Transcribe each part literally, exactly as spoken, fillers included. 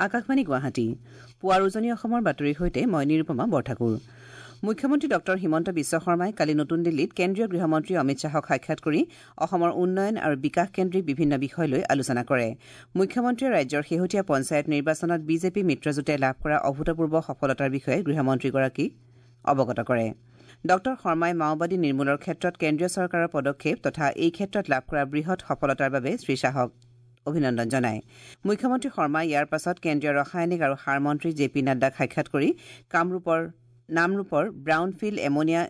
আকাশবাণী গুৱাহাটী পুৱাৰ উজনি অসমৰ বাতৰিৰ সৈতে মই নিৰুপমা বৰঠাকুৰ। মুখ্যমন্ত্ৰী ডক্টৰ হিমন্ত বিশ্ব শৰ্মাই কালি নতুন দিল্লীত কেন্দ্ৰীয় গৃহমন্ত্ৰী অমিত শ্বাহক সাক্ষাৎ কৰি অসমৰ উন্নয়ন আৰু বিকাশ কেন্দ্ৰিক বিভিন্ন বিষয় লৈ আলোচনা কৰে। মুখ্যমন্ত্ৰীয়ে ৰাজ্যৰ শেহতীয়া পঞ্চায়ত নিৰ্বাচনত বিজেপি মিত্ৰজোঁটে লাভ কৰা অভূতপূৰ্ব সফলতাৰ বিষয়ে গৃহমন্ত্ৰীগৰাকীক অৱগত কৰে। ডক্টৰ শৰ্মাই মাওবাদী নিৰ্মূলৰ ক্ষেত্ৰত কেন্দ্ৰীয় চৰকাৰৰ পদক্ষেপ তথা এই ক্ষেত্ৰত লাভ কৰা বৃহৎ সফলতাৰ বাবে শ্ৰীশ্বাহক অভিনন্দন জনায়। মুখ্যমন্ত্ৰী শৰ্মাই ইয়াৰ পাছত কেন্দ্ৰীয় ৰাসায়নিক আৰু সাৰ মন্ত্ৰী জে পি নাড্ডাক সাক্ষাৎ কৰি কামৰূপৰ নামৰূপৰ ব্ৰাউনফিল্ড এমনিয়া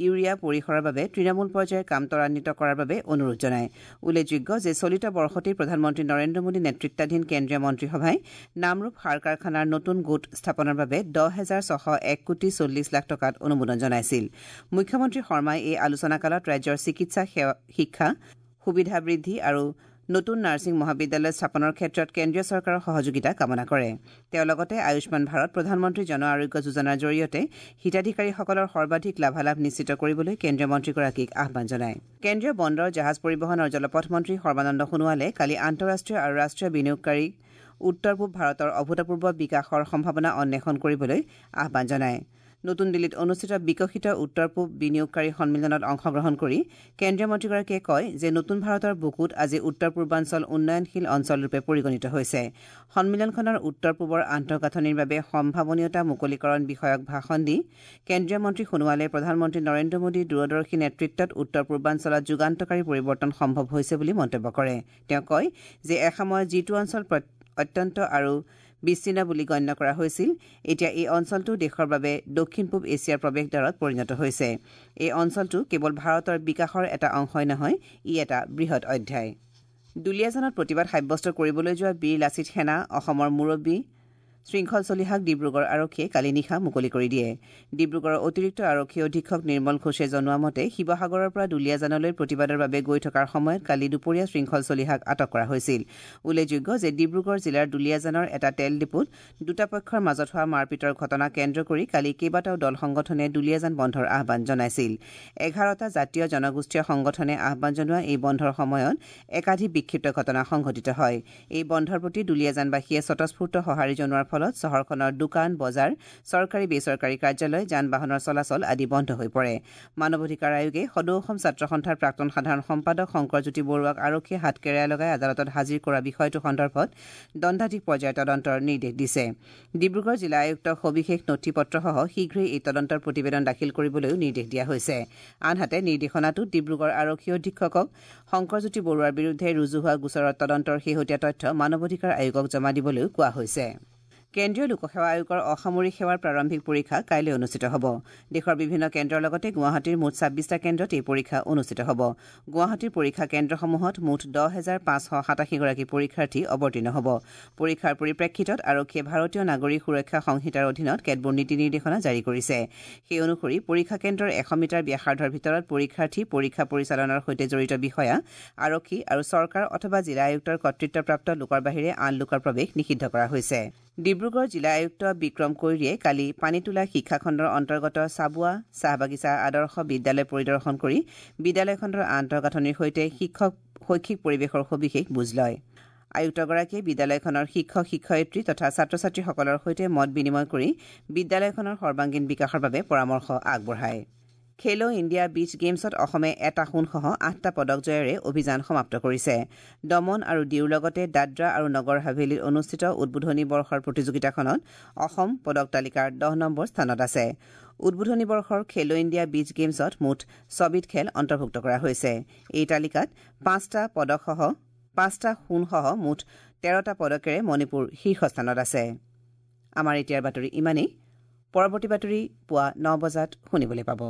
ইউৰিয়া পৰিসৰৰ বাবে তৃণমূল পৰ্যায়ৰ কাম ত্বৰান্বিত কৰাৰ বাবে অনুৰোধ জনায়। উল্লেখযোগ্য যে চলিত বৰ্ষতেই প্ৰধানমন্ত্ৰী নৰেন্দ্ৰ মোদী নেতৃত্বাধীন কেন্দ্ৰীয় মন্ত্ৰীসভাই নামৰূপ সাৰ কাৰখানাৰ নতুন গোট স্থাপনৰ বাবে দহ হেজাৰ ছশ এক কোটি চল্লিছ লাখ টকাত অনুমোদন জনাইছিল। মুখ্যমন্ত্ৰী শৰ্মাই এই আলোচনাকালত ৰাজ্যৰ চিকিৎসা শিক্ষা সুবিধা বৃদ্ধি আৰু নতুন নাৰ্ছিং মহাবিদ্যালয় স্থাপনৰ ক্ষেত্ৰত কেন্দ্ৰীয় চৰকাৰৰ সহযোগিতা কামনা কৰে। তেওঁ লগতে আয়ুষ্মান ভাৰত প্ৰধানমন্ত্ৰী জন আৰোগ্য যোজনাৰ জৰিয়তে হিতাধিকাৰীসকলৰ সৰ্বাধিক লাভালাভ নিশ্চিত কৰিবলৈ কেন্দ্ৰীয় মন্ত্ৰীগৰাকীক আহ্বান জনায়। কেন্দ্ৰীয় বন্দৰ, জাহাজ পৰিবহণ আৰু জলপথ মন্ত্ৰী সৰ্বানন্দ সোণোৱালে কালি আন্তঃৰাষ্ট্ৰীয় আৰু ৰাষ্ট্ৰীয় বিনিয়োগকাৰীক উত্তৰ পূব ভাৰতৰ অভূতপূৰ্ব বিকাশৰ সম্ভাৱনা অন্বেষণ কৰিবলৈ আহ্বান জনায়। নতুন দিল্লীত অনুষ্ঠিত বিকশিত উত্তৰ পূব বিনিয়োগকাৰী সন্মিলনত অংশগ্ৰহণ কৰি কেন্দ্ৰীয় মন্ত্ৰীগৰাকীয়ে কয় যে নতুন ভাৰতৰ বুকুত আজি উত্তৰ পূৰ্বাঞ্চল উন্নয়নশীল অঞ্চলৰূপে পৰিগণিত হৈছে। সন্মিলনখনৰ উত্তৰ পূবৰ আন্তঃগাঁথনিৰ বাবে সম্ভাৱনীয়তা মুকলিকৰণ বিষয়ক ভাষণ দি কেন্দ্ৰীয় মন্ত্ৰী সোণোৱালে প্ৰধানমন্ত্ৰী নৰেন্দ্ৰ মোদীৰ দূৰদৰ্শী নেতৃত্বত উত্তৰ পূৰ্বাঞ্চলত যুগান্তকাৰী পৰিৱৰ্তন সম্ভৱ হৈছে বুলি মন্তব্য কৰে। তেওঁ কয় যে এসময়ত যিটো অঞ্চল অত্যন্ত আৰু বিচ্ছিন্ন বুলি গণ্য কৰা হৈছিল, এতিয়া এই অঞ্চলটো দেশৰ বাবে দক্ষিণ পূব এছিয়াৰ প্ৰৱেশদ্বাৰত পৰিণত হৈছে। এই অঞ্চলটো কেৱল ভাৰতৰ বিকাশৰ এটা অংশই নহয়, ই এটা বৃহৎ অধ্যায়। দুলীয়াজানত প্ৰতিবাদ সাব্যস্ত কৰিবলৈ যোৱা বীৰ লাচিত সেনা অসমৰ মুৰব্বী শৃংখল চলিহাক ডিব্ৰুগড় আৰক্ষীয়ে কালি নিশা মুকলি কৰি দিয়ে। ডিব্ৰুগড়ৰ অতিৰিক্ত আৰক্ষী অধীক্ষক নিৰ্মল ঘোষে জনোৱা মতে শিৱসাগৰৰ পৰা দুলীয়াজানলৈ প্ৰতিবাদৰ বাবে গৈ থকাৰ সময়ত কালি দুপৰীয়া শৃংখল চলিহাক আটক কৰা হৈছিল। উল্লেখযোগ্য যে ডিব্ৰুগড় জিলাৰ দুলীয়াজানৰ এটা তেল ডিপুত দুটা পক্ষৰ মাজত হোৱা মাৰপিটৰ ঘটনা কেন্দ্ৰ কৰি কালি কেইবাটাও দল সংগঠনে দুলীয়াজান বন্ধৰ আহ্বান জনাইছিল। এঘাৰটা জাতীয় জনগোষ্ঠীয় সংগঠনে আহ্বান জনোৱা এই বন্ধৰ সময়ত একাধিক বিক্ষিপ্ত ঘটনা সংঘটিত হয়। এই বন্ধৰ প্ৰতি দুলীয়াজানবাসীয়ে স্বতঃস্ফূৰ্ত সঁহাৰি জনোৱাৰ ফলত চহৰখনৰ দোকান, বজাৰ, চৰকাৰী বেচৰকাৰী কাৰ্যালয়, যান বাহনৰ চলাচল আদি বন্ধ হৈ পৰে। মানৱ অধিকাৰ আয়োগে সদৌ অসম ছাত্ৰ সন্থাৰ প্ৰাক্তন সাধাৰণ সম্পাদক শংকৰজ্যোতি বৰুৱাক আৰক্ষীয়ে হাত কেৰেয়া লগাই আদালতত হাজিৰ কৰা বিষয়টো সন্দৰ্ভত দণ্ডাধীশ পৰ্যায়ৰ তদন্তৰ নিৰ্দেশ দিছে। ডিব্ৰুগড় জিলা আয়ুক্তক সবিশেষ নথি পত্ৰসহ শীঘ্ৰেই এই তদন্তৰ প্ৰতিবেদন দাখিল কৰিবলৈও নিৰ্দেশ দিয়া হৈছে। আনহাতে নিৰ্দেশনাটোত ডিব্ৰুগড় আৰক্ষী অধীক্ষকক শংকৰজ্যোতি বৰুৱাৰ বিৰুদ্ধে ৰুজু হোৱা গোচৰৰ তদন্তৰ শেহতীয়া তথ্য মানৱ অধিকাৰ আয়োগক জমা দিবলৈও কোৱা হৈছে। কেন্দ্ৰীয় লোকসেৱা আয়োগৰ অসামৰিক সেৱাৰ প্ৰাৰম্ভিক পৰীক্ষা কাইলৈ অনুষ্ঠিত হ'ব। দেশৰ বিভিন্ন কেন্দ্ৰৰ লগতে গুৱাহাটীৰ মুঠ ছাব্বিছটা কেন্দ্ৰত এই পৰীক্ষা অনুষ্ঠিত হ'ব। গুৱাহাটীৰ পৰীক্ষা কেন্দ্ৰসমূহত মুঠ দহ হেজাৰ পাঁচশ সাতাশীগৰাকী পৰীক্ষাৰ্থী অৱতীৰ্ণ হ'ব। পৰীক্ষাৰ পৰিপ্ৰেক্ষিতত আৰক্ষীয়ে ভাৰতীয় নাগৰিক সুৰক্ষা সংহিতাৰ অধীনত কেতবোৰ নীতি নিৰ্দেশনা জাৰি কৰিছে। সেই অনুসৰি পৰীক্ষা কেন্দ্ৰৰ এশ মিটাৰ ব্যাসাৰ্ধৰ ভিতৰত পৰীক্ষাৰ্থী, পৰীক্ষা পৰিচালনাৰ সৈতে জড়িত বিষয়া, আৰক্ষী আৰু চৰকাৰ অথবা জিলা আয়ুক্তৰ কৰ্তৃত্বপ্ৰাপ্ত লোকৰ বাহিৰে আন লোকৰ প্ৰৱেশ নিষিদ্ধ কৰা হৈছে। ডিব্ৰুগড় জিলা আয়ুক্ত বিক্ৰম কৈৰীয়ে কালি পানীতোলা শিক্ষাখণ্ডৰ অন্তৰ্গত চাবুৱা চাহ বাগিচা আদৰ্শ বিদ্যালয় পৰিদৰ্শন কৰি বিদ্যালয়খনৰ আন্তঃগাঁথনিৰ সৈতে শিক্ষক শৈক্ষিক পৰিৱেশৰ সবিশেষ বুজ লয়। আয়ুক্তগৰাকীয়ে বিদ্যালয়খনৰ শিক্ষক শিক্ষয়িত্ৰী তথা ছাত্ৰ ছাত্ৰীসকলৰ সৈতে মত বিনিময় কৰি বিদ্যালয়খনৰ সৰ্বাংগীন বিকাশৰ বাবে পৰামৰ্শ আগবঢ়ায়। খেলো ইণ্ডিয়া বীচ গেমছত অসমে এটা সোণসহ আঠটা পদক জয়েৰে অভিযান সমাপ্ত কৰিছে। দমন আৰু ডিউৰ লগতে দাদৰা আৰু নগৰ হাভেলীত অনুষ্ঠিত উদ্বোধনী বৰ্ষৰ প্ৰতিযোগিতাখনত অসম পদক তালিকাৰ দহ নম্বৰ স্থানত আছে। উদ্বোধনী বৰ্ষৰ খেলো ইণ্ডিয়া বীচ গেমছত মুঠ ছবিধ খেল অন্তৰ্ভুক্ত কৰা হৈছে। এই তালিকাত পাঁচটা পদকসহ পাঁচটা সোণসহ মুঠ তেৰটা পদকেৰে মণিপুৰ শীৰ্ষস্থানত আছে। আমাৰ এতিয়াৰ বাতৰি ইমানেই। পৰৱৰ্তী বাতৰি পুৱা ন বজাত শুনিবলৈ পাব।